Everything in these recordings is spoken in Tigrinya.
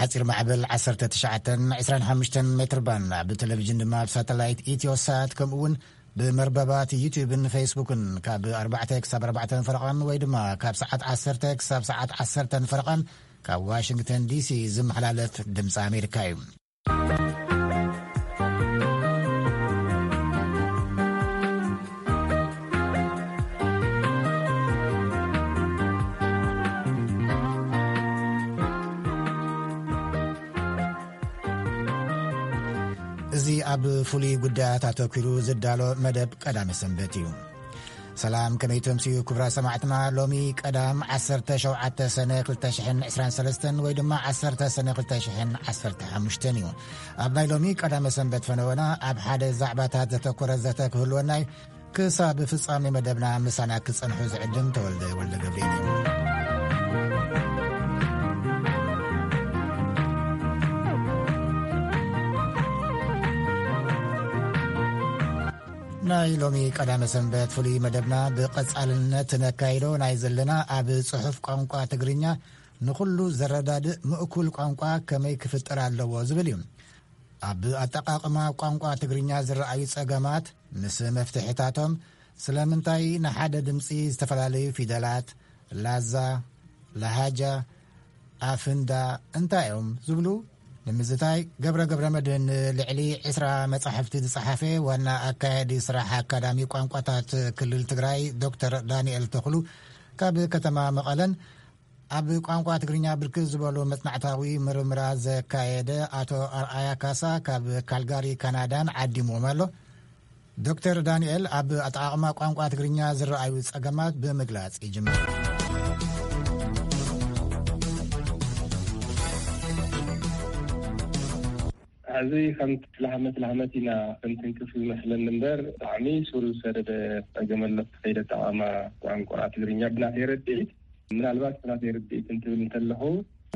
ሓጺር ማዕበል ዓሰርተ ትሽዓተን ዕስራን ሓሙሽተን ሜትር ባንድ፣ ኣብ ቴሌቪዥን ድማ ኣብ ሳተላይት ኢትዮሳት፣ ከምኡ እውን ብመርበባት ዩቲዩብን ፌስቡክን ካብ ኣርባዕተ ክሳብ ኣርባዕተ ፈረቓን ወይ ድማ ካብ ሰዓት ዓሰርተ ክሳብ ሰዓት ዓሰርተ ፈረቓን ካብ ዋሽንግተን ዲሲ ዝመሓላለፍ ድምፂ ኣሜሪካ እዩ። እዚ ኣብ ፍሉይ ጉዳያት ኣተኲሩ ዝዳሎ መደብ ቀዳመ ሰንበት እዩ። ሰላም፣ ከመይ ተምስዩ ክቡራ ሰማዕትና? ሎሚ ቀዳም ዓሰርተ ሸውዓተ ሰነ ክልተ ሽሕን ዕስራን ሰለስተን ወይ ድማ ዓሰርተ ሰነ ክልተ ሽሕን ዓሰርተ ሓሙሽተን እዩ። ኣብ ናይ ሎሚ ቀዳመ ሰንበት ፈነወና ኣብ ሓደ ዛዕባታት ዘተኮረ ዘተ ክህልወና እዩ። ክሳብ ፍጻሜ መደብና ምሳና ክጸንሑ ዝዕድም ተወልደ ወልደ ገብርኤል እዩ። ናይ ሎሚ ቀዳመ ሰንበት ፍሉይ መደብና ብቐጻልነት ነካይዶ ናይ ዘለና ኣብ ጽሑፍ ቋንቋ ትግርኛ ንኹሉ ዘረዳድእ ምእኩል ቋንቋ ከመይ ክፍጠር ኣለዎ ዝብል እዩ። ኣብ ኣጠቓቕማ ቋንቋ ትግርኛ ዝረኣዩ ጸገማት ምስ መፍትሕታቶም፣ ስለምንታይ ንሓደ ድምጺ ዝተፈላለዩ ፊደላት፣ ላዛ፣ ለሃጃ፣ ኣፍንዳ እንታይ እዮም ዝብሉ ንምዝታይ፣ ገብረ ገብረ መድህን ልዕሊ ዕስራ መጻሕፍቲ ዝጸሓፈ ዋና ኣካያዲ ስራሕ ኣካዳሚ ቋንቋታት ክልል ትግራይ ዶክተር ዳንኤል ተኽሉ ካብ ከተማ መቐለን ኣብ ቋንቋ ትግርኛ ብርክት ዝበሉ መጽናዕታዊ ምርምራት ዘካየደ ኣቶ ኣርኣያ ካሳ ካብ ካልጋሪ ካናዳን ዓዲምዎም ኣሎ። ዶክተር ዳንኤል ኣብ ኣጠቓቕማ ቋንቋ ትግርኛ ዝረኣዩ ጸገማት ብምግላጽ ይጅምር። ሕዚ ከምቲ ላህመት ላህመት ኢና ክንትንክፍ ዝመስለኒ እምበር፣ ብጣዕሚ ሱር ዝሰደደ ጸገም ኣሎ። ከይደ ኣጠቓቕማ ቋንቋ ትግርኛ ብናተይ ረድኢት፣ ምናልባት ብናተይ ርድኢት እንትብል እንተለኹ፣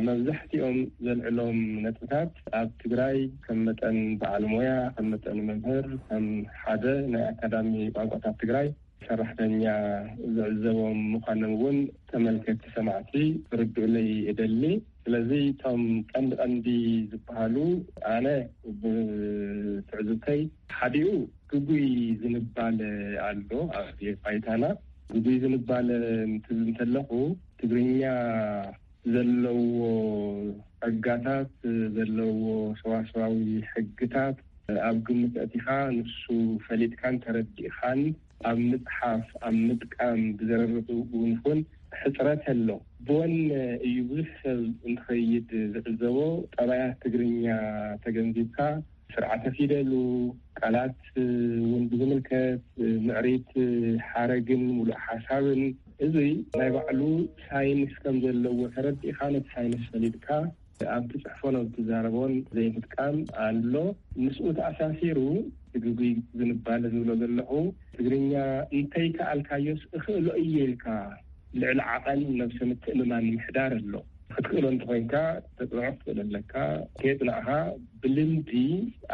መብዛሕትኦም ዘልዕሎም ነጥብታት ኣብ ትግራይ ከም መጠን በዓል ሞያ፣ ከም መጠን መምህር፣ ከም ሓደ ናይ ኣካዳሚ ቋንቋታት ትግራይ ሰራሕተኛ ዝዕዘቦም ምዃኖም እውን ተመልከትቲ ሰማዕቲ ክርድኡለይ እደሊ። ስለዚ እቶም ቀንዲ ቀንዲ ዝበሃሉ ኣነ ብትዕዝብተይ ሓዲኡ ግጉይ ዝንባለ ኣሎ ኣብ ባይታና። ግጉይ ዝንባለ እንትብል እንተለኹ ትግርኛ ዘለዎ ጸጋታት፣ ዘለዎ ሰዋስዋዊ ሕግታት ኣብ ግምት ኣእቲኻ ንሱ ፈሊጥካን ተረዲእኻን ኣብ ምጽሓፍ፣ ኣብ ምጥቃም ብዘረርእ እውን ይኹን ሕጽረት ኣሎ። ብወነ እዩ ብዙሕ ሰብ እንትኸይድ ዝዕዘቦ። ጠባያት ትግርኛ ተገንዚብካ ስርዓተ ፊደሉ፣ ቃላት እውን ብዝምልከት ምዕሪት ሓረግን ሙሉእ ሓሳብን፣ እዚ ናይ ባዕሉ ሳይንስ ከም ዘለዎ ተረዲእካ ነቲ ሳይንስ ፈሊጥካ ኣብ ትጽሕፎን ኣብ ትዛረቦን ዘይምጥቃም ኣሎ። ምስኡ ተኣሳሲሩ ግጉይ ዝንባለ ዝብሎ ዘለኹ፣ ትግርኛ እንተይከኣልካዮስ እኽእሎ እየ ኢልካ ልዕሊ ዓቐን ነብሰ ምትእምማን ምሕዳር ኣሎ። ክትክእሎ እንተኾይንካ ተጽንዖ ክትኽእል ኣለካ። ከየጽናዕኻ ብልምዲ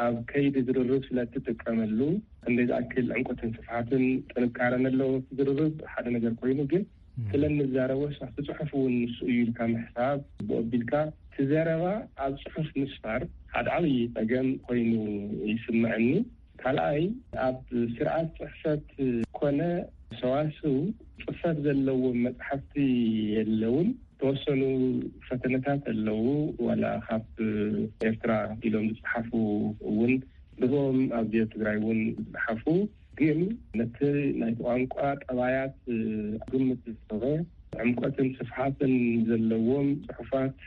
ኣብ ከይዲ ዝርርብ ስለ እትጥቀመሉ፣ ክንደይ ዝኣክል ዕምቆትን ስፍሓትን ጥንካረን ኣለዎ እቲ ዝርርብ ሓደ ነገር ኮይኑ፣ ግን ስለ እንዛረቦስ ኣብቲ ጽሑፍ እውን ንሱ እዩ ኢልካ ምሕሳብ፣ ብኡ ኣቢልካ እቲ ዘረባ ኣብ ጽሑፍ ምስፋር ሓደ ዓብዪ ጸገም ኮይኑ ይስምዐኒ። ካልኣይ፣ ኣብ ስርዓት ጽሕፈት ኮነ ሰዋስው ጽፈት ዘለዎም መጽሓፍቲ የለውን። ተወሰኑ ፈተነታት ኣለዉ፣ ዋላ ካብ ኤርትራ ኢሎም ዝጸሓፉ እውን፣ ብኦም ኣብ ትግራይ እውን ዝጸሓፉ፣ ግን ነቲ ናይቲ ቋንቋ ጠባያት ግምት ዝሰበ ዕምቆትን ስፍሓትን ዘለዎም ጽሑፋት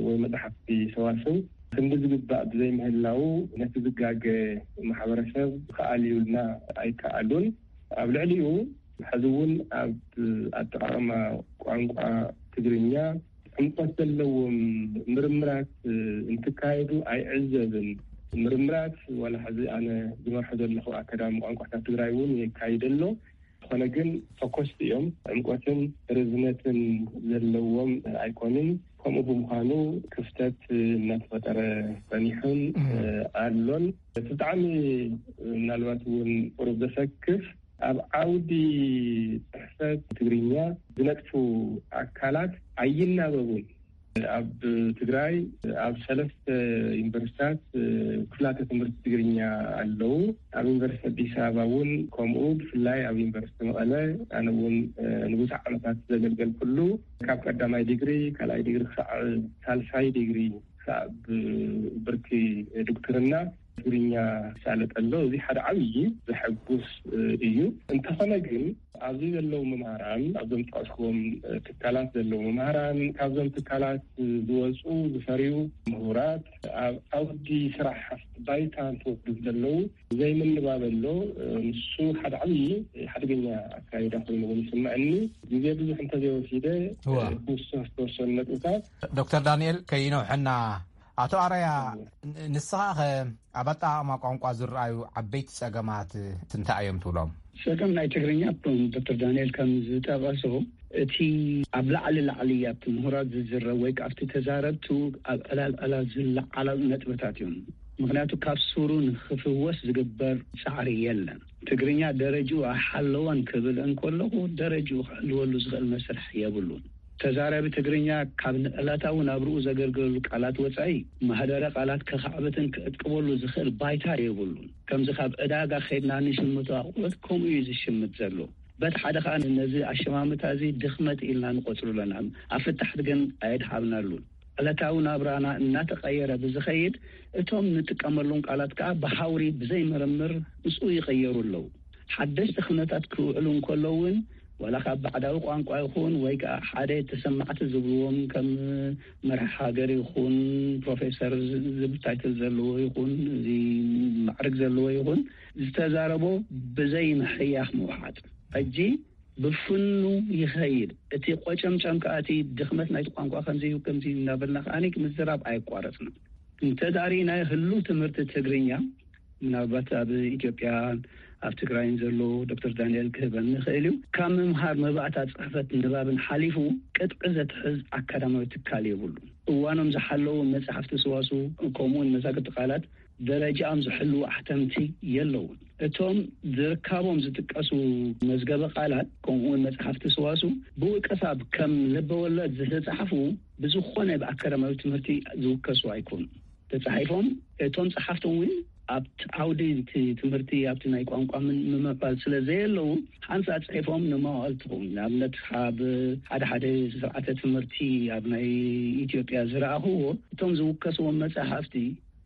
ወይ መጽሓፍቲ ሰዋስው ክንዲ ዝግባእ ብዘይምህላዉ፣ ነቲ ዝጋገ ማሕበረሰብ ክኣልዩልና ኣይከኣሉን። ኣብ ልዕሊኡ፣ ሕዚ እውን ኣብ ኣጠቓቕማ ቋንቋ ትግርኛ ዕምቆት ዘለዎም ምርምራት እንትካየዱ ኣይዕዘብን። ምርምራት ዋላ ሕዚ ኣነ ዝመርሖ ዘለኹ ኣካዳሚ ቋንቋታት ትግራይ እውን የካይድ ኣሎ። ዝኾነ ግን ፈኮስቲ እዮም። ዕምቆትን ርዝነትን ዘለዎም ኣይኮኑን። ከምኡ ብምዃኑ ክፍተት እናተፈጠረ ጸኒሑን ኣሎን። እቲ ብጣዕሚ ምናልባት እውን ቁሩብ ዘሰክፍ፣ ኣብ ዓውዲ ጽሕፈት ትግርኛ ዝነጥፉ ኣካላት ኣይናበቡን። ኣብ ትግራይ ኣብ ሰለስተ ዩኒቨርሲታት ክፍላተ ትምህርቲ ትግርኛ ኣለዉ። ኣብ ዩኒቨርሲቲ ኣዲስ ኣበባ እውን ከምኡ፣ ብፍላይ ኣብ ዩኒቨርሲቲ መቐለ ኣነ እውን ንብዙሕ ዓመታት ዘገልገልኩሉ፣ ካብ ቀዳማይ ዲግሪ፣ ካልኣይ ዲግሪ ክሳዕ ሳልሳይ ዲግሪ ክሳብ ብርኪ ዶክትርና ትግርኛ ይሳለጥ ኣሎ። እዚ ሓደ ዓብዪ ዘሐጉስ እዩ። እንተኾነ ግን ኣብዚ ዘለዉ መምህራን፣ ኣብዞም ዝጠቐስክዎም ትካላት ዘለዉ መምህራን፣ ካብዞም ትካላት ዝወፁ ዝፈርዩ ምሁራት ኣብ ዓውዲ ስራሕ ባይታ እንትወዱ ዘለዉ ዘይምንባብ ኣሎ። ንሱ ሓደ ዓብዪ ሓደገኛ ኣካይዳ ኮይኑ እውን ይስምዐኒ። ግዜ ብዙሕ እንተዘይወሲደ እዋ። ክውስኽ ዝተወሰኑ ነጥብታት። ዶክተር ዳንኤል ከይነውሐና፣ ኣቶ ኣራያ፣ ን- ንስኻ ኸ ኣብ ኣጠቓቕማ ቋንቋ ዝረኣዩ ዓበይቲ ጸገማት እንታይ እዮም ትብሎም? ጸገም ናይ ትግርኛ፣ ዶክተር ዳንኤል ከም ዝጠቐሶ፣ እቲ ኣብ ላዕሊ ላዕሊ ኣብቲ ምሁራት ዝዝረብ ወይ ከኣ ኣብቲ ተዛረብቱ ኣብ ዕላል ዕላል ዝለዓሉ ነጥብታት እዮም። ምኽንያቱ ካብ ሱሩ ንኽፍወስ ዝግበር ጻዕሪ የለን። ትግርኛ ደረጅኡ ኣይሓለወን ክብል እንከለኹ፣ ደረጅኡ ክሕልወሉ ዝኽእል መስርሕ የብሉን። ተዛራቢ ትግርኛ ካብ ንዕለታዊ ናብርኡ ዘገልግለሉ ቃላት ወጻኢ፣ ማህደረ ቃላት ከኻዕብትን ክዕቅበሉ ዝኽእል ባይታ የብሉን። ከምዚ ካብ ዕዳጋ ኸይድና ንሽምቶ ኣቑሑት ከምኡ እዩ ዝሽምት ዘሎ። በቲ ሓደ ኸኣ ነዚ ኣሸማምታ እዚ ድኽመት ኢልና ንቖጽሩ ኣለና። ኣብ ፍታሕት ግን ኣየድሃብናሉን። ዕለታዊ ናብራና እናተቐየረ ብዝኸይድ፣ እቶም ንጥቀመሎም ቃላት ከኣ ብሃውሪ ብዘይ ምርምር ምስኡ ይቐየሩ ኣለዉ። ሓደሽቲ ኹነታት ክውዕሉ እንከለዉ እውን፣ ዋላ ካብ ባዕዳዊ ቋንቋ ይኹን ወይ ከኣ ሓደ ተሰማዕቲ ዝብልዎም ከም መራሒ ሃገር ይኹን ፕሮፌሰር ዝ- ዝብል ታይትል ዘለዎ ይኹን፣ እዚ ማዕርግ ዘለዎ ይኹን፣ ዝተዛረቦ ብዘይ ምሕያኽ ምውሓጥ። ሕጂ ብፍኑ ይኸይድ። እቲ ቆጨምጨም ከኣ እቲ ድኽመት ናይቲ ቋንቋ ከምዚ እዩ፣ ከምዚ እዩ እናበልና ከኣ ምዝራብ ኣየቋረጽና። እንተ ዳኣ ርኢናዮ ህሉው ትምህርቲ ትግርኛ፣ ምናልባት ኣብ ኢትዮጵያን ኣብ ትግራይን ዘሎ ዶክተር ዳንኤል ክህበን ይኽእል እዩ። ካብ ምምሃር መባእታ ጽሕፈት ንባብን ሓሊፉ ቅጥዒ ዘትሕዝ ኣካዳማዊ ትካል የብሉን። እዋኖም ዝሓለዉ መጽሓፍቲ ሰዋስው፣ ከምኡውን መዛግብቲ ቃላት ደረጃኦም ዝሕልዉ ኣሕተምቲ የለውን። እቶም ዝርካቦም ዝጥቀሱ መዝገበ ቃላት፣ ከምኡውን መጽሓፍቲ ሰዋስው ብውልቀ ሰብ ከም ልበ ወለድ ዝተጻሕፉ ብዝኾነ ብኣካዳማዊ ትምህርቲ ዝውከሱ ኣይኮኑን። ተጻሒፎም እቶም ጸሓፍቶም እውን ኣብቲ ዓውዲ እቲ ትምህርቲ፣ ኣብቲ ናይ ቋንቋ ምን- ምምዕባል ስለ ዘየለዉ፣ ሓንሳእ ጽሒፎም ንመዋእል ትኸውን። ንኣብነት፣ ኣብ ሓደ ሓደ ስርዓተ ትምህርቲ ኣብ ናይ ኢትዮጵያ ዝረኣኽዎ፣ እቶም ዝውከስዎም መጻሕፍቲ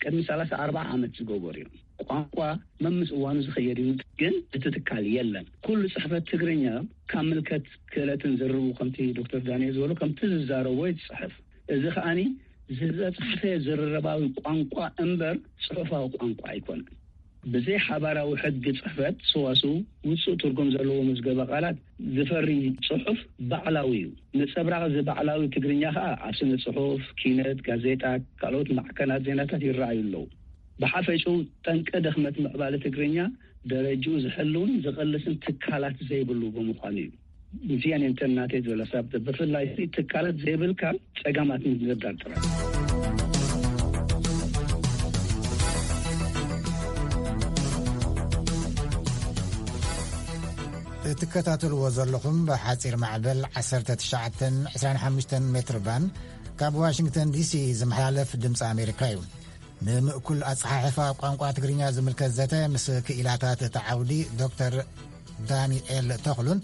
ቅድሚ ሰላሳ ኣርባዓ ዓመት ዝገበሩ እዮም። ቋንቋ መምስ እዋኑ ዝኸየድ እዩ፣ ግን እቲ ትካል የለን። ኩሉ ጽሕፈት ትግርኛ ካብ ምልከት ክእለትን ዝርቡ፣ ከምቲ ዶክተር ዳንኤል ዝበሎ፣ ከምቲ ዝዛረቦ ይጽሕፍ። እዚ ከኣኒ ዝተጻሕፈ ዝርርባዊ ቋንቋ እምበር ጽሑፋዊ ቋንቋ ኣይኮነን። ብዘይ ሓባራዊ ሕጊ ጽሕፈት ሰዋስው ውጹእ ትርጉም ዘለዎ መዝገበ ቃላት ዝፈሪ ጽሑፍ ባዕላዊ እዩ። ነጸብራቕ እዚ ባዕላዊ ትግርኛ ከኣ ኣብ ስነ ጽሑፍ፣ ኪነት፣ ጋዜጣ፣ ካልኦት ማዕከናት ዜናታት ይረኣዩ ኣለዉ። ብሓፈሽኡ ጠንቂ ድኽመት ምዕባለ ትግርኛ ደረጅኡ ዝሕልውን ዝቕልስን ትካላት ዘይብሉ ብምዃኑ እዩ። እዚኣን እየን እተን ናተይ ዝበላ፣ ሳብ ብፍላይ ትካላት ዘይብልካ ጸገማት ምድርዳር ጥራይ። እትከታተልዎ ዘለኹም ብሓጺር ማዕበል ዓሰርተ ትሽዓተ ዕስራን ሓሙሽተን ሜትር ባንድ ካብ ዋሽንግተን ዲሲ ዝመሓላለፍ ድምፂ ኣሜሪካ እዩ። ንምእኩል ኣፀሓሕፋ ቋንቋ ትግርኛ ዝምልከት ዘተ ምስ ክኢላታት እቲ ዓውዲ ዶክተር ዳንኤል ተኽሉን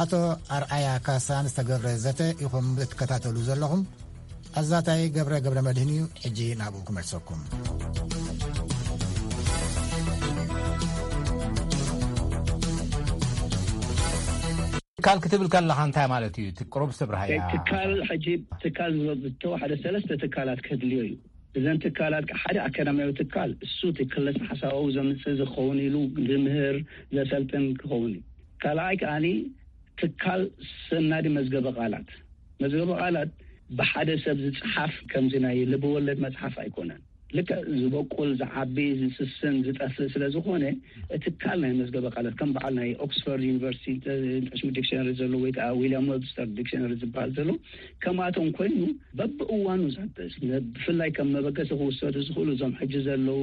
ኣቶ ኣርኣያ ካሳን ዝተገብረ ዘተ ኢኹም እትከታተሉ ዘለኹም። ኣዛታይ ገብረ ገብረ መድህን እዩ። ሕጂ ናብኡ ክመልሰኩም። ትካል ክትብል ከለኻ እንታይ ማለት እዩ? እቲ ቁሩብ ስብርሃያ። ትካል፣ ሕጂ ትካል ዝተዋሕደ ሰለስተ ትካላት ከድልዮ እዩ። እዘን ትካላት፣ ሓደ ኣካዳሚያዊ ትካል፣ እሱ እቲ ክለሳ ሓሳባዊ ዘምጽእ ዝኸውን ኢሉ ዝምህር፣ ዘሰልጥን ክኸውን እዩ። ካልኣይ ከኣኒ ትካል ሰናዲ መዝገበ ቃላት። መዝገበ ቃላት ብሓደ ሰብ ዝጽሓፍ፣ ከምዚ ናይ ልበወለድ መጽሓፍ ኣይኮነን። ልክዕ ዝበቁል፣ ዝዓቢ፣ ዝስስን፣ ዝጠፍእ ስለ ዝኾነ፣ እቲ ትካል ናይ መዝገበ ቃላት ከም በዓል ናይ ኦክስፎርድ ዩኒቨርሲቲ፣ ኢንተርናሽናል ዲክሽነሪ ዘሎ ወይ ከዓ ዊልያም ዌብስተር ዲክሽነሪ ዝበሃል ዘሎ፣ ከምኣቶም ኮይኑ በብእዋኑ ዘድስ፣ ነ- ብፍላይ ከም መበገሲ ክውሰዱ ዝኽእሉ እዞም ሕጂ ዘለዉ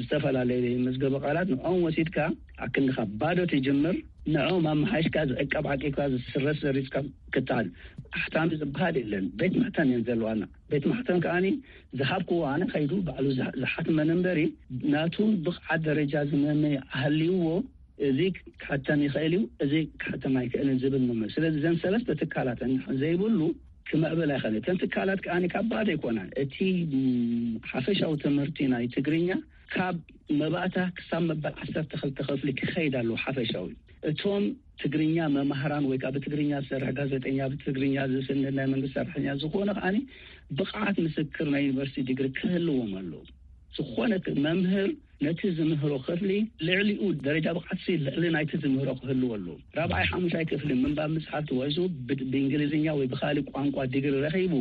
ዝተፈላለዩ መዝገበ ቃላት፣ ንዕኦም ወሲድካ ኣክንድኻ ባዶ ትጅምር። ንዕኦም ኣመሓይሽካ ዝዕቀብ ዓቂብካ ዝስረስ ዘሪዝካ ክትኣል ኣሕታሚ ዝበሃል የለን። ቤት ማሕተም እየን ዘለዋና። ቤት ማሕተም ከዓኒ ዝሃብክዎ ኣነ ከይዱ ባዕሉ ዝሃ- ዝሓትመን እምበሪ ናቱ ብቕዓት ደረጃ ዝመመ ኣህልይዎ እዚ ክሓተም ይኽእል እዩ፣ እዚ ክሓተም ኣይክእልን ዝብል መመ ስለዚ ዘን ሰለስተ ትካላት እንድሕር ዘይብሉ ክምዕብል ኣይኽእልን። እተን ትካላት ከዓኒ ካብ ባዶ ኣይኮናን። እቲ ም፣ ሓፈሻዊ ትምህርቲ ናይ ትግርኛ ካብ መባእታ ክሳብ መበል ዓሰርተ ክልተ ክፍሊ ክኸይድ ኣለዎ ሓፈሻዊ። እቶም ትግርኛ መማህራን ወይ ከዓ ብትግርኛ ዝሰርሕ ጋዜጠኛ፣ ብትግርኛ ዝስንድ ናይ መንግስቲ ሰራሕተኛ ዝኾነ ከዓኒ ብቕዓት ምስክር ናይ ዩኒቨርሲቲ ዲግሪ ክህልዎም ኣለዎ። ዝኾነ ክ- መምህር ነቲ ዝምህሮ ክፍሊ ልዕሊኡ ደረጃ ብቕዓት ሲ ልዕሊ ናይቲ ዝምህሮ ክህልዎ ኣለዎ። ራብዓይ ሓሙሻይ ክፍሊ ምንባብ ምፅሓፍ ተወሱ ብ- ብእንግሊዝኛ ወይ ብካሊእ ቋንቋ ዲግሪ ረኺቡ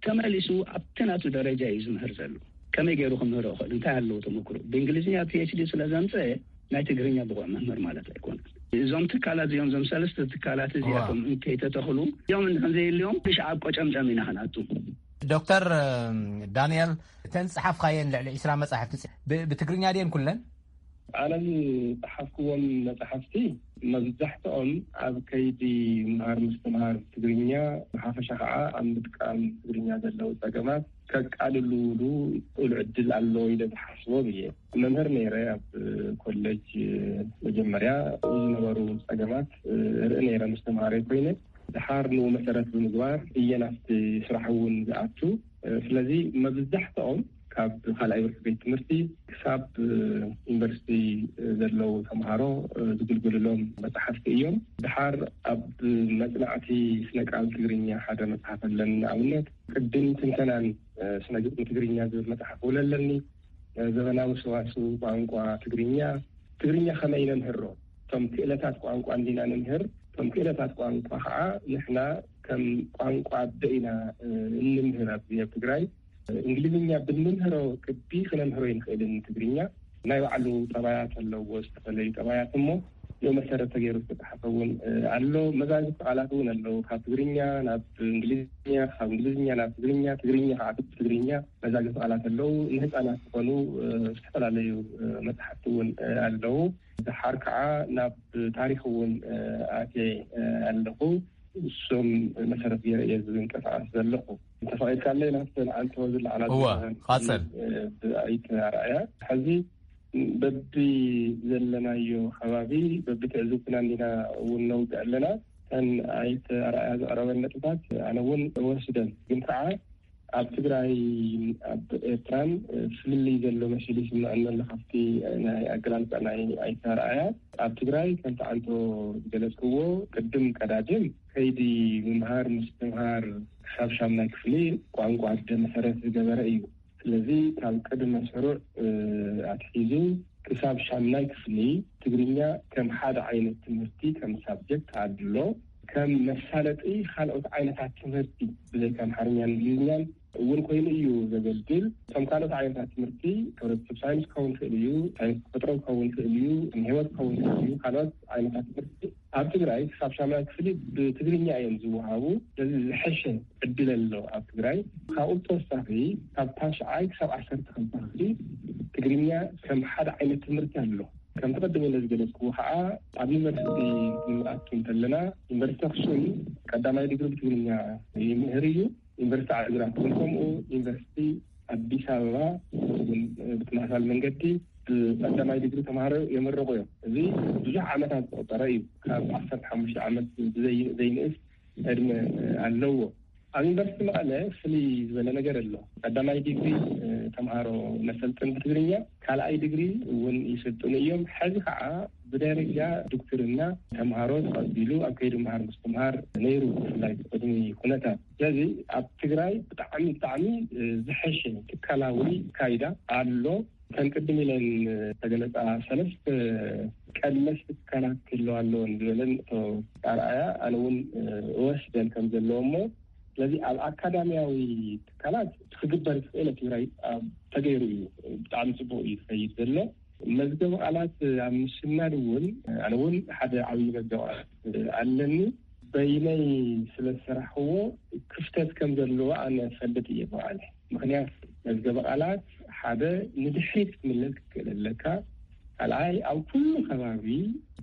ተመሊሱ ኣብቲ ናቱ ደረጃ እዩ ዝምህር ዘሎ። ከመይ ገይሩ ክምህሮ ይኽእል? እንታይ ኣለዎ ተመክሮ? ብእንግሊዝኛ ፒኤችዲ ስለ ዘምፀአ ናይ ትግርኛ ብቑዕ መምህር ማለት ኣይኮነን። እዞም ትካላት እዚኦም፣ እዞም ሰለስተ ትካላት እዚኣቶም እንከይተተኽሉ እዮም እንድሕን ዘየልዮም ብሽዓብ ቆጨምጨም ኢና ክንኣቱ። ዶክተር ዳንኤል፣ እተን ዝጸሓፍካየን ልዕሊ ዒስራ መጻሕፍቲ ብ- ብትግርኛ ድየን ኩለን? ኣነ ዝጸሓፍክዎም መጻሕፍቲ መብዛሕትኦም ኣብ ከይዲ ምሃር ምስትምሃር ትግርኛ፣ ብሓፈሻ ከዓ ኣብ ምጥቃም ትግርኛ ዘለዉ ጸገማት ከቃልሉሉ ክእሉ ዕድል ኣሎ ኢለ ዝሓስቦም እየ። መምህር ነይረ ኣብ ኮሌጅ መጀመርያ ዝነበሩ ጸገማት ርኢ ነይረ ምስ ተምሃሮይ ኮይነ። ድሓር ንኡ መሰረት ብምግባር እየ ናብቲ ስራሕ እውን ዝኣቱ። ስለዚ መብዛሕትኦም ካብ ካልኣይ ብርኪ ቤት ትምህርቲ ክሳብ ዩኒቨርሲቲ ዘለዉ ተምሃሮ ዝግልግልሎም መፅሓፍቲ እዮም። ድሓር ኣብ መፅናዕቲ ስነ ቃል ትግርኛ ሓደ መፅሓፍ ኣለኒ። ንኣብነት ቅድም ትንተናን ስነ ግጥሚ ትግርኛ ዝብል መፅሓፍ እውን ኣለኒ። ዘበናዊ ሰዋስው ቋንቋ ትግርኛ፣ ትግርኛ ከመይ ነምህሮ፣ እቶም ክእለታት ቋንቋ እንዲና ንምህር፣ እቶም ክእለታት ቋንቋ ከዓ ንሕና ከም ቋንቋ ኣደ ኢና እንምህር ኣብዚ ኣብ ትግራይ። እንግሊዝኛ ብንምህሮ ቅዲ ክነምህሮ ይንኽእል ትግርኛ። ናይ ባዕሉ ጠባያት ኣለዎ፣ ዝተፈላለዩ ጠባያት እሞ ዮ መሰረት ተገይሩ ዝተፅሓፈ እውን ኣሎ። መዛግብቲ ቃላት እውን ኣለዉ፣ ካብ ትግርኛ ናብ እንግሊዝኛ፣ ካብ እንግሊዝኛ ናብ ትግርኛ፣ ትግርኛ ከዓ ትግርኛ መዛግብቲ ቃላት ኣለዉ። ንህፃናት ዝኾኑ ዝተፈላለዩ መፅሓፍቲ እውን ኣለዉ። ድሓር ከዓ ናብ ታሪክ እውን ኣትየ ኣለኹ። እሶም መሰረት ገይረ እየ ዝንቀሳቐስ ዘለኹ። እንተፈቒድካለይ ናብተን ኣንቶ ዝለዓላ እወ፣ ቃፀል። ብኣይተ ኣርኣያ ሕዚ በቢ ዘለናዮ ከባቢ በቢ ትዕዝብትና እንዲና እውን ነውግዕ ኣለና። እተን ኣይተ ኣርኣያ ዘቕረበን ነጥብታት ኣነ እውን እወስደን፣ ግን ከዓ ኣብ ትግራይ ኣብ ኤርትራን ፍልልይ ዘሎ መሲሉ ይስምዐኒ ኣሎ ካብቲ ናይ ኣገላልፃ ናይ ኣይተ ኣርኣያ። ኣብ ትግራይ ከምቲ ኣንቶ ዝገለፅክዎ ቅድም ቀዳድም ከይዲ ምምሃር ምስትምሃር ክሳብ ሻምናይ ክፍሊ ቋንቋ ኣደ መሰረት ዝገበረ እዩ። ስለዚ ካብ ቅድመ ስሩዕ ኣትሒዙ ክሳብ ሻምናይ ክፍሊ ትግርኛ ከም ሓደ ዓይነት ትምህርቲ ከም ሳብጀክት ኣድሎ ከም መሳለጢ ካልኦት ዓይነታት ትምህርቲ ብዘይካ ኣምሓርኛን እንግሊዝኛን እውን ኮይኑ እዩ ዘገልግል። እቶም ካልኦት ዓይነታት ትምህርቲ ሕብረተሰብ ሳይንስ ክኸውን ይኽእል እዩ፣ ሳይንስ ተፈጥሮ ክኸውን ይኽእል እዩ፣ ህይወት ክኸውን ይኽእል እዩ። ካልኦት ዓይነታት ትምህርቲ ኣብ ትግራይ ክሳብ ሻምናይ ክፍሊ ብትግርኛ እዮም ዝወሃቡ። ስለዚ ዝሐሸ ዕድል ኣሎ ኣብ ትግራይ። ካብኡ ብተወሳኺ ካብ ታሽዓይ ክሳብ ዓሰርተ ክልተ ክፍሊ ትግርኛ ከም ሓደ ዓይነት ትምህርቲ ኣሎ። ከምቲ ቅድም ኢለ ዝገለፅክዎ ከዓ ኣብ ዩኒቨርሲቲ ክንኣቱ እንተለና ዩኒቨርሲቲ ኣክሱም ቀዳማይ ዲግሪ ብትግርኛ ይምህር እዩ። ዩኒቨርሲቲ ዓዲግራት እውን ከምኡ፣ ዩኒቨርሲቲ ኣዲስ ኣበባ እውን ብተመሳሳሊ መንገዲ ብቀዳማይ ዲግሪ ተምሃሮ የመረቑ እዮም። እዚ ብዙሕ ዓመታት ዘቆፀረ እዩ። ካብ ዓሰርተ ሓሙሽተ ዓመት ብዘይ- ዘይንእስ ዕድመ ኣለዎ። ኣብ ዩኒቨርሲቲ መቐለ ፍልይ ዝበለ ነገር ኣሎ። ቀዳማይ ዲግሪ ተምሃሮ ነሰልጥን ብትግርኛ፣ ካልኣይ ዲግሪ እውን ይስልጥኑ እዮም። ሕዚ ከዓ ብደረጃ ዶክትርና ተምሃሮ ተቐቢሉ ኣብ ከይዲ ምሃር ምስትምሃር ነይሩ፣ ብፍላይ ቅድሚ ኩነታት። ስለዚ ኣብ ትግራይ ብጣዕሚ ብጣዕሚ ዝሐሸ ትካላዊ ካይዳ ኣሎ። ከም ቅድም ኢለን ዝተገለፃ ሰለስተ ቀለስቲ ትካላት ክህልዋ ኣለወን ዝበለን ኣቶ ኣርኣያ ኣነ እውን እወስደን ከም ዘለዎ እሞ፣ ስለዚ ኣብ ኣካዳሚያዊ ትካላት ክግበር ዝኽእል ኣብ ትግራይ ኣብ ተገይሩ እዩ። ብጣዕሚ ፅቡቅ እዩ ዝኸይድ ዘሎ። መዝገብ ቃላት ኣብ ምስናድ እውን ኣነ እውን ሓደ ዓብዪ መዝገብ ቃላት ኣለኒ። በይነይ ስለ ዝሰራሕዎ ክፍተት ከም ዘለዎ ኣነ ፈልጥ እየ ብባዕለ። ምክንያት መዝገብ ቃላት ሓደ ንድሕሪት ክትምለስ ክትክእል ኣለካ። ካልኣይ፣ ኣብ ኩሉ ከባቢ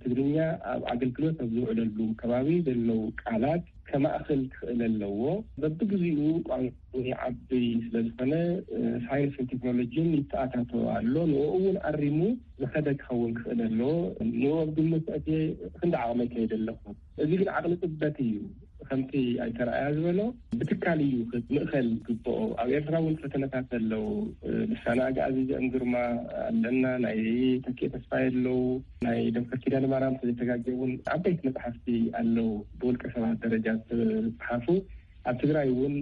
ትግርኛ ኣብ ኣገልግሎት ኣብ ዝውዕለሉ ከባቢ ዘለዉ ቃላት ከማእኽል ክኽእል ኣለዎ። በብግዚኡ ቋንቋ ይዓቢ ስለ ዝኾነ፣ ሳይንስን ቴክኖሎጂን ይተኣታተው ኣሎ። ንኡ እውን ኣሪሙ ዝኸደ ክኸውን ክኽእል ኣለዎ። ንኡ ኣብ ግምት ኣእትየ ክንዲ ዓቕመይ ከይደ ኣለኹ። እዚ ግን ዓቕሊ ጽበት እዩ። ከምቲ ኣይተረኣያ ዝበሎ ብትካል እዩ ምእኸል ግብኦ። ኣብ ኤርትራ እውን ፈተነታት ኣለዉ። ልሳነ ኣግኣዚ ዘእም ግርማ ኣለና፣ ናይ ተኪኤ ተስፋይ ኣለዉ፣ ናይ ዶክተር ኪዳነ ማርያም ተዘይተጋጌ እውን ዓበይቲ መጽሓፍቲ ኣለዉ፣ ብውልቀ ሰባት ደረጃ ዝተጽሓፉ። ኣብ ትግራይ እውን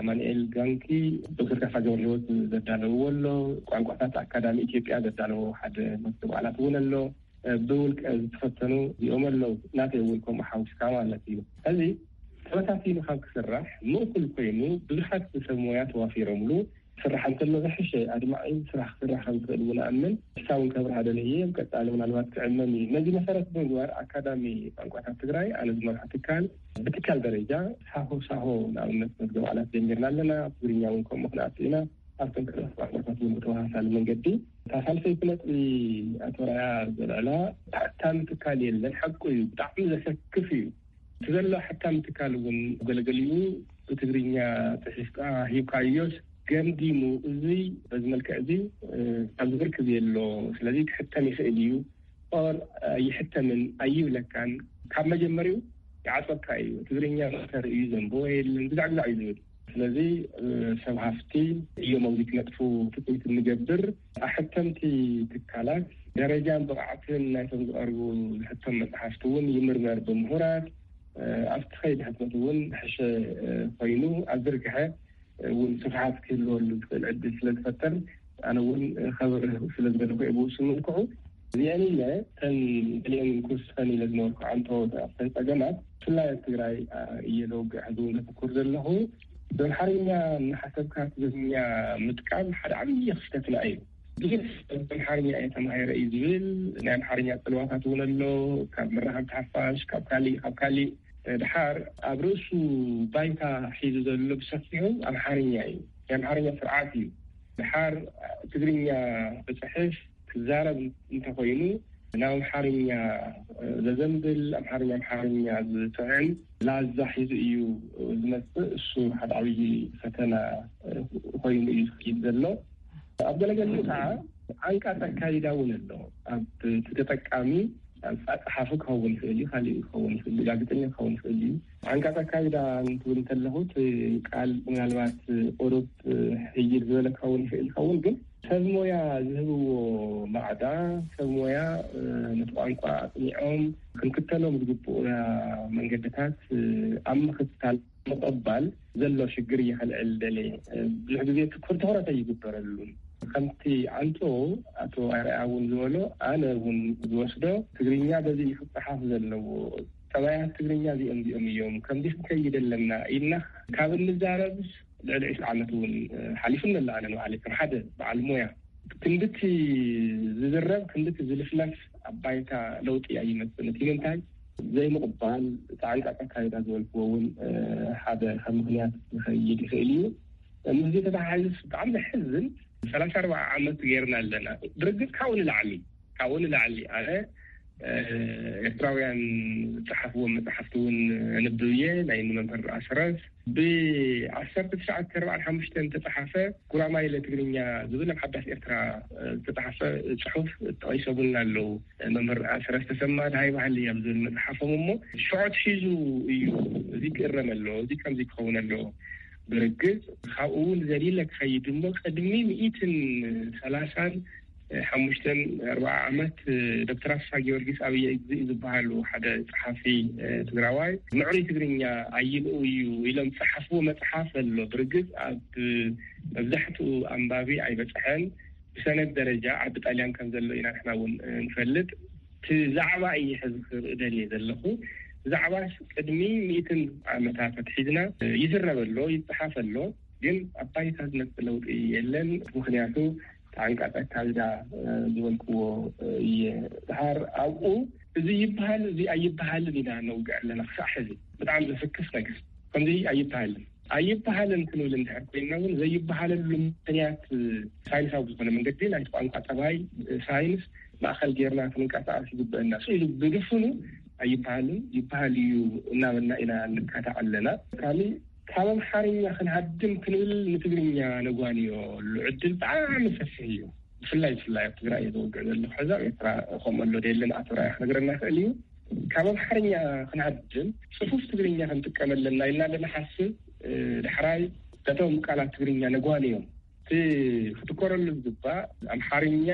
ኣማኑኤል ጋንኪ፣ ዶክተር ካሳ ገብረህይወት ዘዳለውዎ ኣሎ፣ ቋንቋታት ኣካዳሚ ኢትዮጵያ ዘዳለዎ ሓደ መክተብ ቃላት እውን ኣሎ። ብውልቀ ዝተፈተኑ እዚኦም ኣለዉ። ናተይ እውን ከምኡ ሓዊስካ ማለት እዩ። እዚ ተበታቲኑ ካብ ክስራሕ ምእኩል ኮይኑ ብዙሓት ሰብ ሞያ ተዋፊሮምሉ ክስራሕ እንተሎ ዝሕሸ ኣድማዒ ስራሕ ክስራሕ ከም ዝኽእል እውን ኣምን። ንሳ እውን ከብርሃ ደልየ እየ። ቀጻሊ ምናልባት ክዕመም እዩ። ነዚ መሰረት ብምግባር ኣካዳሚ ቋንቋታት ትግራይ ኣነ ዝመርሖ ትካል ብትካል ደረጃ ሳሆ ሳሆ ንኣብነት መዝገብ ቃላት ጀሚርና ኣለና። ኣብ ትግርኛ እውን ከምኡ ክንኣቱ ኢና። ኣብቶም ካልኦት ቋንቋታት እውን ብተመሳሳሊ መንገዲ። እታ ሳልሰይቲ ነጥቢ ኣቶ ራያ ዘልዕላ ተሓታሚ ትካል የለን። ሓቁ እዩ፣ ብጣዕሚ ዘሰክፍ እዩ። እቲ ዘሎ ሓታሚ ትካል እውን ገለገሊኡ ብትግርኛ ጽሒፍካ ሂብካዮስ ገምጊሙ፣ እዚ በዚ መልክዕ እዚ ኣብዚ ብርክ ዘየሎ፣ ስለዚ ክሕተም ይኽእል እዩ ኦር ኣይሕተምን ኣይብለካን። ካብ መጀመሪኡ ይዓጽወካ እዩ። ትግርኛ መእተሪ እዩ፣ ዘንብቦ የለን፣ ግዛዕ ግዛዕ እዩ ዝብል። ስለዚ ሰብ ሃፍቲ እዮም ኣብዚ ክነጥፉ ትፅቢት እንገብር። ኣሕተምቲ ትካላት ደረጃን ብቕዓትን ናይቶም ዝቐርቡ ዝሕተም መፅሓፍቲ እውን ይምርመር ብምሁራት። ኣብቲ ከይዲ ሕትመት እውን ሕሸ ኮይኑ ኣብ ዝርግሐ እውን ስፍሓት ክህልወሉ ዝኽእል ዕድል ስለ ዝፈጠር ኣነ እውን ከብርህ ስለ ዝደለኹ እየ ብውሱን መልክዑ። እዚአን ኢለ እተን ገሊአን ክውስኸን ኢለ ዝነበርኩ ዓንተወት ኣብተን ጸገማት ብፍላይ ኣብ ትግራይ እየ ዘውግዕ ሕዚ እውን ዘተኩር ዘለኹ። ብኣምሓርኛ እናሓሰብካ ትግርኛ ምጥቃም ሓደ ዓብዪ ክፍተትና እዩ። ብዙሕ ሰብ ኣምሓርኛ እየ ተማሂረ እዩ ዝብል። ናይ ኣምሓርኛ ጽልዋታት እውን ኣሎ። ካብ መራኸብቲ ሓፋሽ፣ ካብ ካሊእ ካብ ካሊእ። ድሓር ኣብ ርእሱ ባይታ ሒዙ ዘሎ ብሰፊሑ ኣምሓርኛ እዩ። ናይ ኣምሓርኛ ስርዓት እዩ። ድሓር ትግርኛ ክጽሕፍ ክዛረብ እንተኾይኑ ናብ ኣምሓርኛ ዘዘንብል፣ ኣምሓርኛ ኣምሓርኛ ዝጥዕም ላዛ ሒዙ እዩ ዝመጽእ። እሱ ሓደ ዓብዪ ፈተና ኮይኑ እዩ ዝኸይድ ዘሎ። ኣብ ገለገሊኡ ከዓ ዓንቃፅ ኣካይዳ እውን ኣሎ። ኣብ እቲ ተጠቃሚ ኣብ ፃ- ጸሓፊ ክኸውን ይኽእል እዩ፣ ካሊእ ክኸውን ይኽእል እዩ፣ ጋዜጠኛ ክኸውን ይኽእል እዩ። ዓንቃፅ ኣካይዳ እንትብል እንተለኹ እቲ ቃል ምናልባት ቁሩብ ሕይል ዝበለ ክኸውን ይኽእል ይኸውን፣ ግን ሰብ ሞያ ዝህብዎ ማዕዳ፣ ሰብ ሞያ ነቲ ቋንቋ ኣፅኒዖም ክንክተሎም ዝግብኡና መንገድታት ኣብ ምኽታል ምቕባል ዘሎ ሽግር እየ ከልዕል ደልየ። ብዙሕ ግዜ ትኩር ትኹረት ኣይግበረሉን። ከምቲ ዓንቶ ኣቶ ኣርኣያ እውን ዝበሎ፣ ኣነ እውን ዝወስዶ ትግርኛ በዚ እዩ ክፀሓፍ ዘለዎ። ጠባያት ትግርኛ እዚኦም እዚኦም እዮም፣ ከምዚ ክንከይድ ኣለና ኢልና ካብ እንዛረብ ልዕሊ ዕስራ ዓመት እውን ሓሊፉ ኣሎ። ኣነ ንባዕለይ ከም ሓደ በዓል ሞያ ክንድቲ ዝዝረብ ክንድቲ ዝልፍለፍ ኣብ ባይታ ለውጢ ኣይመፅን። እቲ ምንታይ ዘይምቕባል፣ እቲ ዓንቃፅ ኣካይዳ ዝበልክዎ እውን ሓደ ካብ ምኽንያት ዝኸይድ ይኽእል እዩ። ምስዚ ተተሓሒዙ ብጣዕሚ ዘሕዝን ሰላሳ ኣርባዓ ዓመት ገይርና ኣለና። ብርግፅ ካብኡ ንላዕሊ፣ ካብኡ ንላዕሊ ኣነ ኤርትራውያን ዝፀሓፍዎም መፅሓፍቲ እውን ኣንብብ እየ። ናይ ንመምህር ኣስረስ ብዓሰርተ ትሽዓተ ኣርባዓን ሓሙሽተን ዝተፀሓፈ ጉራማይለ ትግርኛ ዝብል ኣብ ሓዳስ ኤርትራ ዝተፀሓፈ ፅሑፍ ጠቒሶምልና ኣለዉ። መምህር ኣስረስ ተሰማ ድሃይ ባህሊ ኣብ ዝብል መፅሓፎም እሞ ሽዖት ሒዙ እዩ እዚ ክእረም ኣለዎ፣ እዚ ከምዚ ክኸውን ኣለዎ። ብርግፅ ካብኡ እውን ዘሊለ ክኸይድ እሞ ቅድሚ ሚእትን ሰላሳን ሓሙሽተን ኣርባዓ ዓመት ዶክተር ኣስፋ ጊዮርጊስ ኣብየ እግዚእ ዝበሃሉ ሓደ ጸሓፊ ትግራዋይ ምዕሩይ ትግርኛ ኣይንኡ እዩ ኢሎም ዝጸሓፍዎ መጽሓፍ ኣሎ። ብርግጽ ኣብ መብዛሕትኡ ኣንባቢ ኣይበጽሐን። ብሰነድ ደረጃ ዓዲ ጣልያን ከም ዘሎ ኢና ንሕና እውን ንፈልጥ። እቲ ዛዕባ እየ ሕዚ ክርኢ ደልየ ዘለኹ። ዛዕባ ቅድሚ ሚእትን ዓመታት ኣትሒዝና ይዝረብ ኣሎ፣ ይጸሓፍ ኣሎ። ግን ኣብ ባይታ ዝመጽእ ለውጢ የለን። ምኽንያቱ ተዓንቃጸካ ዝዳ ዝበልክዎ እየ። ድሓር ኣብኡ እዚ ይበሃል እዚ ኣይበሃልን ኢና ነውግዕ ኣለና። ክሳዕ ሕዚ ብጣዕሚ ዘፍክስ ነገር ከምዚ ኣይበሃልን። ኣይበሃልን ክንብል እንድሕር ኮይንና እውን ዘይበሃለሉ ምክንያት ሳይንሳዊ ብዝኾነ መንገዲ ናይቲ ቋንቋ ጠባይ ሳይንስ ማእኸል ጌርና ክንንቀሳቐስ ይግበአና። ስኢሉ ብድፍኑ ኣይበሃልን ይበሃል እዩ እናበልና ኢና ንካታዕ ኣለና። ካሊ ካብ ኣምሓርኛ ክንሃድም ክንብል ንትግርኛ ነጓንዮ ዕድል ብጣዕሚ ሰፊሕ እዩ። ብፍላይ ብፍላይ ኣብ ትግራይ እየ ዘወግዕ ዘለኹ ሕዛ ኤርትራ ከምኡ ኣሎ ደየለን ኣቶ ራያ ክነግረና ይኽእል እዩ። ካብ ኣምሓርኛ ክንሃድም ጽፉፍ ትግርኛ ክንጥቀም ኣለና ኢልና ንሓስብ ዳሕራይ ነቶም ቃላት ትግርኛ ነጓንዮም። እቲ ክትኮረሉ ዝግባእ ኣምሓርኛ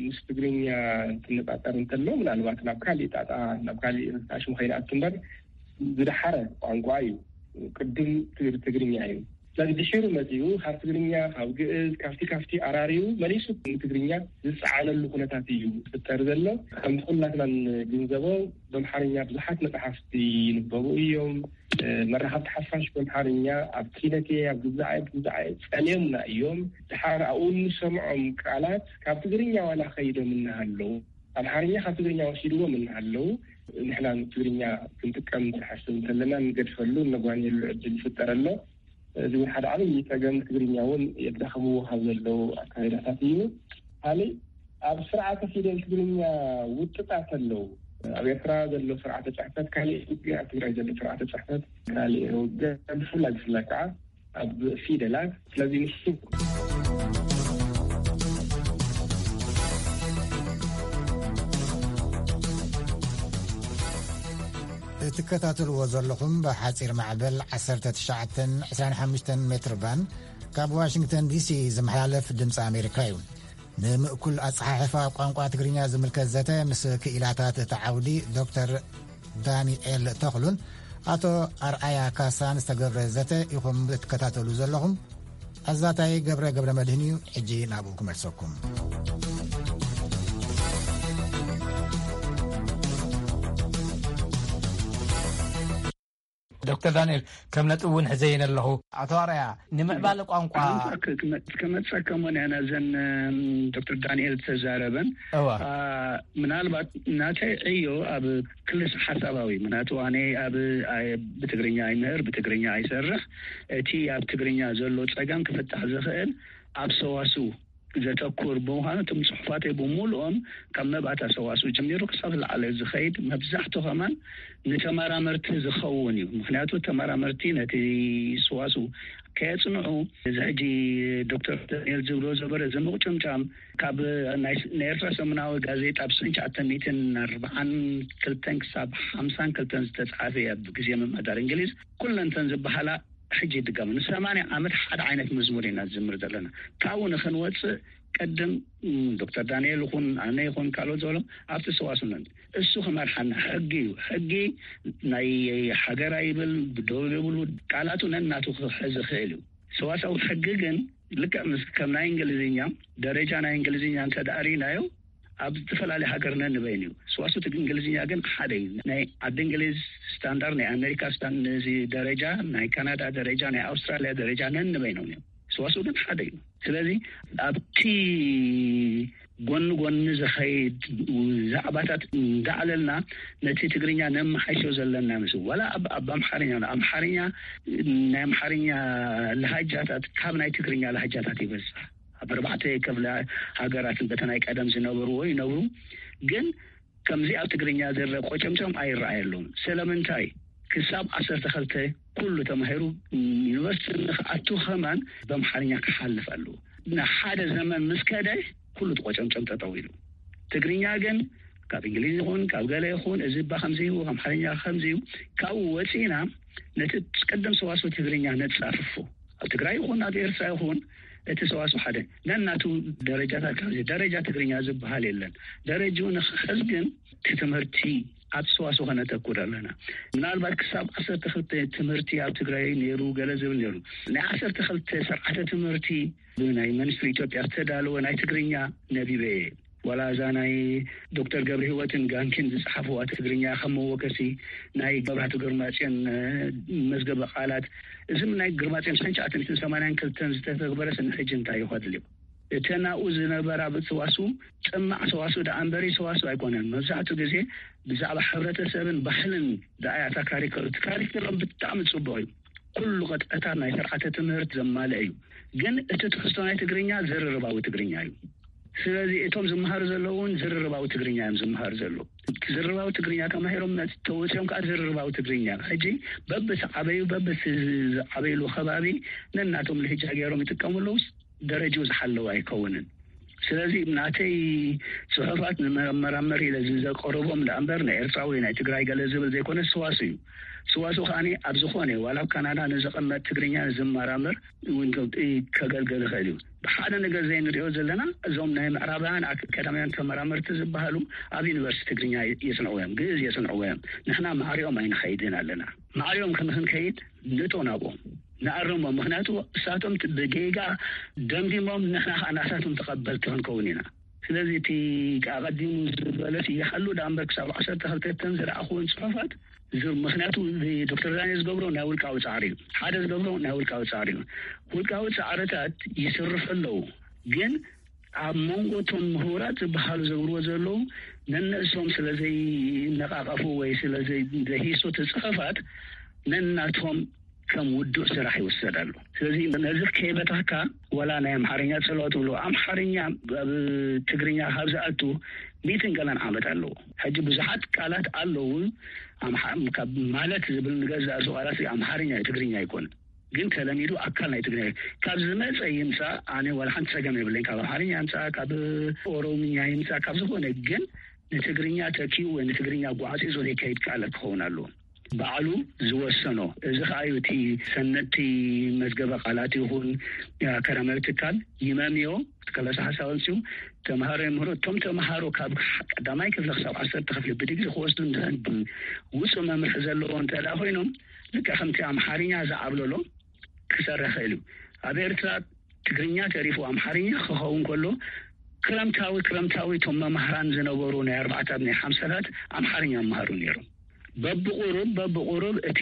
ምስ ትግርኛ እንትነጻጸር እንተሎ ምናልባት ናብ ካሊእ ጣጣ ናብ ካሊእ ኣሽሙ ከይንኣቱ እምበር ዝደሓረ ቋንቋ እዩ። ቅድም ትግርኛ እዩ። ስለዚ ድሒሩ መጺኡ ካብ ትግርኛ ካብ ግእዝ ካብቲ ካብቲ ኣራርዩ መሊሱ ንትግርኛ ዝጸዓነሉ ኩነታት እዩ ዝፍጠር ዘሎ። ከምቲ ኩላትና ንግንዘቦ ብኣምሓርኛ ብዙሓት መጽሓፍቲ ይንበቡ እዮም። መራኸብቲ ሓፋሽ ብኣምሓርኛ ኣብ ኪነቴ ኣብ ግዛዓይ ግዛዓይ ጸልዮምና እዮም። ድሓር ኣብኡ እንሰምዖም ቃላት ካብ ትግርኛ ዋላ ከይዶም እናሃለዉ ኣምሓርኛ ካብ ትግርኛ ወሲድዎም እናሃለዉ ንሕና ትግርኛ ክንጥቀም ንሓስብ እንተለና ንገድፈሉ እነጓንየሉ ዕድል ይፍጠር ኣሎ። እዚ እውን ሓደ ዓብዪ ጸገም ትግርኛ እውን የዳኸምዎ ካብ ዘለዉ ኣካይዳታት እዩ። ካልእ ኣብ ስርዓተ ፊደል ትግርኛ ውጥጣት ኣለዉ። ኣብ ኤርትራ ዘሎ ስርዓተ ጽሕፈት ካልእ፣ ኣብ ትግራይ ዘሎ ስርዓተ ጽሕፈት ካልእ። ብፍላይ ብፍላይ ከዓ ኣብ ፊደላት ስለዚ ንሱ እትከታተልዎ ዘለኹም ብሓፂር ማዕበል ዓሰርተ ትሽዓተ ዕስራን ሓሙሽተን ሜትር ባንድ ካብ ዋሽንግተን ዲሲ ዝመሓላለፍ ድምፂ ኣሜሪካ እዩ። ንምእኩል ኣፀሓሕፋ ቋንቋ ትግርኛ ዝምልከት ዘተ ምስ ክኢላታት እቲ ዓውዲ ዶክተር ዳንኤል ተኽሉን ኣቶ ኣርኣያ ካሳን ዝተገብረ ዘተ ኢኹም እትከታተሉ ዘለኹም። ኣዛታይ ገብረ ገብረ መድህን እዩ። ሕጂ ናብኡ ክመልሰኩም። ዶክተር ዳንኤል ከም ነጥብ እውን ሕዘይን ኣለኹ። ኣቶ ኣርኣያ ንምዕባለ ቋንቋ ክመፀከሞን ያና ዘን ዶክተር ዳንኤል ተዛረበን እዋ ምናልባት ናተይ ዕዮ ኣብ ክልስ ሓሳባዊ ምክንያቱ ኣነ ኣብ ብትግርኛ ኣይምህር ብትግርኛ ኣይሰርሕ። እቲ ኣብ ትግርኛ ዘሎ ፀገም ክፍታሕ ዝኽእል ኣብ ሰዋስው ዘተኩር ብምዃኑ እቶም ፅሑፋተይ ብምሉኦም ካብ መብኣታ ሰዋስው ጀሚሩ ክሳብ ዝለዓለ ዝኸይድ መብዛሕቱ ከማን ንተመራመርቲ ዝኸውን እዩ። ምክንያቱ ተመራመርቲ ነቲ ሰዋስው ከየፅንዑ እዚ ሕጂ ዶክተር ዳንኤል ዝብሎ ዘበረ እዚ ምቕጭምጫም ካብ ናይ ኤርትራ ሰሙናዊ ጋዜጣ ብ ትሽዓተ ሚእትን ኣርባዓን ክልተን ክሳብ ሓምሳን ክልተን ዝተፅሓፈ እያ ብግዜ ምምሕዳር እንግሊዝ ኩለንተን ዝበሃላ ሕጂ ይድገሙ ንሰማንያ ዓመት ሓደ ዓይነት መዝሙር ኢና ዝዝምር ዘለና። ካብኡ ንክንወፅእ ቅድም ዶክተር ዳንኤል ይኹን ኣነ ይኹን ካልኦት ዝበሎም ኣብቲ ሰዋስው ነን እሱ ክመርሓና ሕጊ እዩ። ሕጊ ናይ ሓገራ ይብል ደው የብሉ ቃላቱ ነናቱ ክሕዝ ይኽእል እዩ። ሰዋስው ሕጊ ግን ልክዕ ምስ ከም ናይ እንግሊዝኛ ደረጃ ናይ እንግሊዝኛ እንተደኣ ርኢናዮ ኣብ ዝተፈላለየ ሃገር ነንበይኑ እዩ። ሰዋስው እንግሊዝኛ ግን ሓደ እዩ። ናይ ዓዲ እንግሊዝ ስታንዳርድ ናይ ኣሜሪካ ስታንዳርድ ነዚ ደረጃ ናይ ካናዳ ደረጃ ናይ ኣውስትራልያ ደረጃ ነንበይኖም እዮም። ሰዋስው ግን ሓደ እዩ። ስለዚ ኣብቲ ጎኒ ጎኒ ዝኸይድ ዛዕባታት እንዳዕለልና ነቲ ትግርኛ ነመሓይሾ ዘለና ምስ ዋላ ኣብ ኣብ ኣምሓርኛ ኣሎ ኣምሓርኛ ናይ ኣምሓርኛ ለሃጃታት ካብ ናይ ትግርኛ ለሃጃታት ይበዝሕ። ኣብ ኣርባዕተ ክፍለ ሃገራትን በተ ናይ ቀደም ዝነበርዎ ይነብሩ ግን ከምዚ ኣብ ትግርኛ ዝረ ቆጨምጨም ኣይረኣየሉን። ስለምንታይ ክሳብ ዓሰርተ ክልተ ኩሉ ተማሂሩ ዩኒቨርሲቲ ንክኣቱ ከማን በምሓርኛ ክሓልፍ ኣለዎ። ንሓደ ዘመን ምስ ከደ ኩሉ ተቆጨምጨም ጠጠው ኢሉ። ትግርኛ ግን ካብ እንግሊዝ ይኹን ካብ ገለ ይኹን እዚ እባ ከምዚ እዩ ኣምሓርኛ ከምዚ እዩ። ካብኡ ወፂና ነቲ ቅድም ሰዋስው ትግርኛ ነፃፍፎ ኣብ ትግራይ ይኹን ኣብ ኤርትራ ይኹን እቲ ሰዋስው ሓደ ነናቱ ደረጃታት ካብ ደረጃ ትግርኛ ዝበሃል የለን። ደረጅኡ ንክሕዝ ግን እቲ ትምህርቲ ኣብ ሰዋስው ከነተኩር ኣለና። ምናልባት ክሳብ ዓሰርተ ክልተ ትምህርቲ ኣብ ትግራይ ነይሩ ገለ ዝብል ነይሩ። ናይ ዓሰርተ ክልተ ስርዓተ ትምህርቲ ብናይ መንስትሪ ኢትዮጵያ ዝተዳለወ ናይ ትግርኛ ነቢበ እየ። ዋላ እዛ ናይ ዶክተር ገብረ ህይወትን ጋንኪን ዝፀሓፍዋ ትግርኛ ከም መወከሲ ናይ መብራህቱ ግርማፅዮን መዝገበ ቃላት እዚም ናይ ግርማፅዮን ሓንሻዓትን ሰማንያን ክልተን ዝተተግበረ ስኒ ሕጂ እንታይ ይኸድል እዩ። እተን ኣብኡ ዝነበራ ሰዋስው ጥማዕ ሰዋስው ደኣ እምበሪ ሰዋስው ኣይኮነን። መብዛሕትኡ ግዜ ብዛዕባ ሕብረተሰብን ባህልን ደኣ እያ እታ ካሪክል። እቲ ካሪክሎም ብጣዕሚ ፅቡቕ እዩ። ኩሉ ቅጥዕታት ናይ ስርዓተ ትምህርት ዘማልአ እዩ። ግን እቲ ትሕዝቶ ናይ ትግርኛ ዝርርባዊ ትግርኛ እዩ። ስለዚ እቶም ዝመሃሩ ዘለዉ እውን ዝርርባዊ ትግርኛ እዮም ዝመሃሩ ዘለዉ። ዝርርባዊ ትግርኛ ተማሂሮም መጽ-፣ ተወጺኦም ከዓ ዝርርባዊ ትግርኛ። ሕጂ በብዝዓበዩ፣ በብዝዓበይሉ ከባቢ ነናቶም ልህጃ ገይሮም ይጥቀሙ ኣለዉ። ደረጃኡ ዝሓለወ ኣይከውንን። ስለዚ ናተይ ጽሑፋት ንመመራመሪ ኢለ ዘቀርቦም ደኣ እምበር፣ ናይ ኤርትራ ወይ ናይ ትግራይ ገለ ዝብል ዘይኮነ፣ ሰዋሱ እዩ። ሰዋሱ ከኣ ኣብ ዝኾነ፣ ዋላ ኣብ ካናዳ ንዝቕመጥ ትግርኛ ዝመራመር እውን ከገልገል ይኽእል እዩ። ሓደ ነገር ዘይንሪኦ ዘለና፣ እዞም ናይ ምዕራባውያን ኣካዳሚያን ተመራመርቲ ዝበሃሉ ኣብ ዩኒቨርሲቲ ትግርኛ የጽንዕዎ እዮም፣ ግእዝ የጽንዕዎ እዮም። ንሕና ማዕሪኦም ኣይንኸይድን ኣለና። ማዕሪኦም ክንከይድ ንእቶ ናብኦም፣ ንኣርሞም። ምኽንያቱ እሳቶም ብጌጋ ደምዲሞም፣ ንሕና ከዓ ናሳቶም ተቐበልቲ ክንከውን ኢና። ስለዚ እቲ ኣቐዲሙ ዝበለስ ይሓሉ ደኣ እምበር፣ ክሳብ ዓሰርተ ክልተ እተን ዝረኣኹወን ጽሑፋት፣ እዚ ምኽንያቱ ዶክተር ዳንኤል ዝገብሮ ናይ ውልቃዊ ጻዕሪ እዩ። ሓደ ዝገብሮ ናይ ውልቃዊ ጻዕሪ እዩ። ውልቃዊ ጻዕርታት ይስርሑ ኣለዉ፣ ግን ኣብ መንጎ እቶም ምሁራት ዝበሃሉ ዘብርዎ ዘለዉ፣ ነነእሶም ስለ ዘይነቃቀፉ ወይ ስለ ዘይ-፣ ዘይሂሱ እቲ ጽሑፋት፣ ነናቶም ከም ውዱእ ስራሕ ይውሰድ ኣሎ። ስለዚ ነዚ ከይበታካ፣ ወላ ናይ ኣምሓርኛ ጽልኦ ትብሎ፣ ኣምሓርኛ ኣብ ትግርኛ ካብ ዝኣቱ ሚእትን ገለን ዓመት ኣለዎ። ሕጂ ብዙሓት ቃላት ኣለዉ፣ ኣምሓ-፣ ካብ ማለት ዝብል ንገዛእ ርእሱ ቃላት ኣምሓርኛ እዩ፣ ትግርኛ ኣይኮነን። ግን ተለሚዱ ኣካል ናይ ትግርኛ እዩ። ካብ ዝመጸ ይምጻእ፣ ኣነ ዋላ ሓንቲ ጸገም የብለኝ። ካብ ኣምሓርኛ ይምጻእ፣ ካብ ኦሮምኛ ይምጻእ፣ ካብ ዝኾነ፣ ግን ንትግርኛ ተኪኡ ወይ ንትግርኛ ጓዕጺጹ ዘይከይድ ቃላት ክኸውን ኣለዎ። ባዕሉ ዝወሰኖ። እዚ ኸኣ እዩ እቲ ሰነድቲ መዝገበ ቃላት ይኹን ኣካዳሚያዊ ትካል ይመምዮ፣ ከለሳ ሓሳብ ኣምፅኡ፣ ተምሃሮ የምህሩ። እቶም ተምሃሮ ካብ ቀዳማይ ክፍሊ ክሳብ ዓሰርተ ክፍሊ ብዲግሪ ክወስዱ እንድሕር ውፁእ መምርሒ ዘለዎ እንተ ደኣ ኮይኖም፣ ልክዕ ከምቲ ኣምሓርኛ ዝዓብለሎ ክሰርሕ ይኽእል እዩ። ኣብ ኤርትራ ትግርኛ ተሪፉ ኣምሓርኛ ክኸውን ከሎ፣ ክረምታዊ፣ ክረምታዊ እቶም መማህራን ዝነበሩ ናይ ኣርባዕታት ናይ ሓምሳታት ኣምሓርኛ ይመሃሩ ነይሮም። በብቑሩብ፣ በብቑሩብ እቲ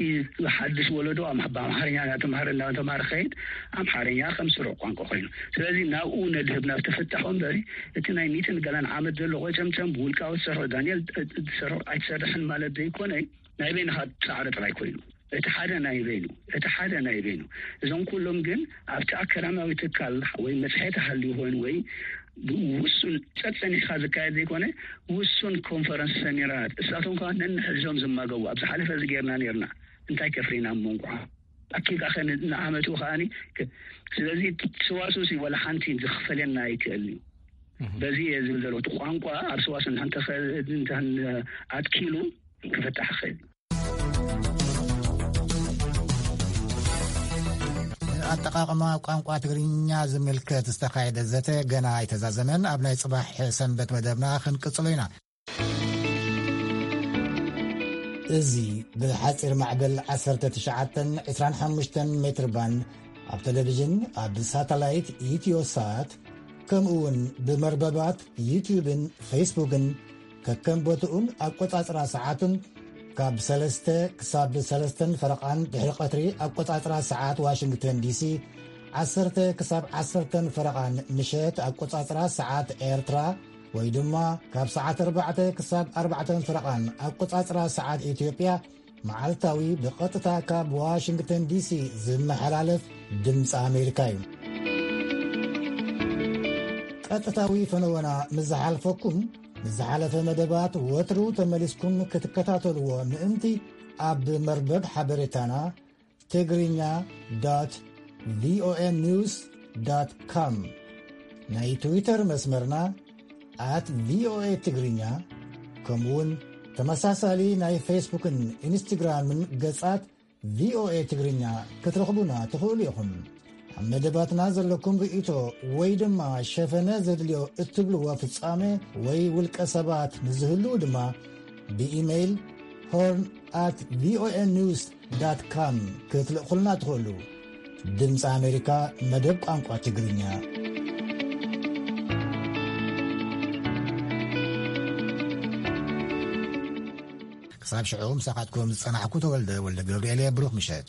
ሓድሽ ወለዶ ኣም-፣ ብኣምሓርኛ እናተምሃረ፣ እናተምሃረ ክኸይድ፣ ኣምሓርኛ ከም ስሩዕ ቋንቋ ኮይኑ። ስለዚ ናብኡ ነድህብ፣ ናብቲ ፍታሕ እምበሪ፣ እቲ ናይ ሚእትን ገለን ዓመት ዘሎ ቆጨምጨም ብውልቃዊ ትሰርሖ፣ ዳንኤል ትሰርሖ ኣይትሰርሕን ማለት ዘይኮነ፣ ናይ በይንኻ ጻዕሪ ጥራይ ኮይኑ። እቲ ሓደ ናይ በይኑ፣ እቲ ሓደ ናይ በይኑ። እዞም ኩሎም ግን ኣብቲ ኣካዳሚያዊ ትካል ወይ መጽሔት ሃልዩ ኮይኑ ወይ ውሱን ጸጸኒሕካ ዝካየድ ዘይኮነ፣ ውሱን ኮንፈረንስ፣ ሰሚናራት፣ እሳቶም ከኣ ነንሕድዞም ዝማገቡ፣ ኣብ ዝሓለፈ እዚ ጌርና ኔርና፣ እንታይ ከፍሪና እሞ እንቋዕ ኣኪብካ ከ ን-፣ ንዓመቱ ከኣኒ ከ-፣ ስለዚ ሰዋስው ሲ ወላ ሓንቲ ዝኽፈለና ኣይክእልን እዩ። እህ። በዚ እየ ዝብል ዘለኹ። እቲ ቋንቋ ኣብ ሰዋስው እንተ ኸ-፣ እንተ ኣትኪሉ ክፍታሕ ይኽእል። ኣጠቓቕማ ቋንቋ ትግርኛ ዝምልከት ዝተኻየደ ዘተ ገና ኣይተዛዘመን። ኣብ ናይ ጽባሕ ሰንበት መደብና ክንቅጽሎ ኢና። እዚ ብሓጺር ማዕበል ዓሰርተ ትሽዓተን ዕስራን ሓሙሽተን ሜትር ባንድ ኣብ ቴሌቪዥን፣ ኣብ ሳተላይት ኢትዮሳት፣ ከምኡ እውን ብመርበባት ዩትዩብን ፌስቡክን፣ ከከም ቦትኡን ኣቆጻጽራ ሰዓቱን፣ ካብ ሰለስተ ክሳብ ሰለስተን ፈረቓን ድሕሪ ቀትሪ ኣቆጻጽራ ሰዓት ዋሽንግተን ዲሲ፣ ዓሰርተ ክሳብ ዓሰርተን ፈረቓን ምሸት ኣቆጻጽራ ሰዓት ኤርትራ፣ ወይ ድማ ካብ ሰዓት ኣርባዕተ ክሳብ ኣርባዕተን ፈረቓን ኣቆጻጽራ ሰዓት ኢትዮጵያ፣ መዓልታዊ ብቐጥታ ካብ ዋሽንግተን ዲሲ ዝመሓላለፍ ድምፂ ኣሜሪካ እዩ። ቀጥታዊ ፈነወና ምስ ዝሓልፈኩም፣ ንዝሓለፈ መደባት ወትሩ ተመሊስኩም ክትከታተልዎ ምእንቲ፣ ኣብ መርበብ ሓበሬታና ትግርኛ ዶት ቪኦኤ ኒውስ ዶት ኮም፣ ናይ ትዊተር መስመርና ኣት ቪኦኤ ትግርኛ፣ ከምኡውን ተመሳሳሊ ናይ ፌስቡክን ኢንስትግራምን ገጻት ቪኦኤ ትግርኛ ክትረኽቡና ትኽእሉ ኢኹም። ኣብ መደባትና ዘለኩም ርእይቶ ወይ ድማ ሸፈነ ዘድልዮ እትብልዎ ፍጻመ ወይ ውልቀ ሰባት ንዝህልዉ ድማ ብኢሜይል ሆርን ኣት ቪኦኤ ኒውስ ዳት ካም ክትልእኹልና ትኽእሉ። ድምፂ ኣሜሪካ፣ መደብ ቋንቋ ትግርኛ። ክሳብ ሽዑ ምሳኻትኩም ዝጸናሕኩ ተወልደ ወልደ ገብርኤል እየ። ብሩኽ ምሸት።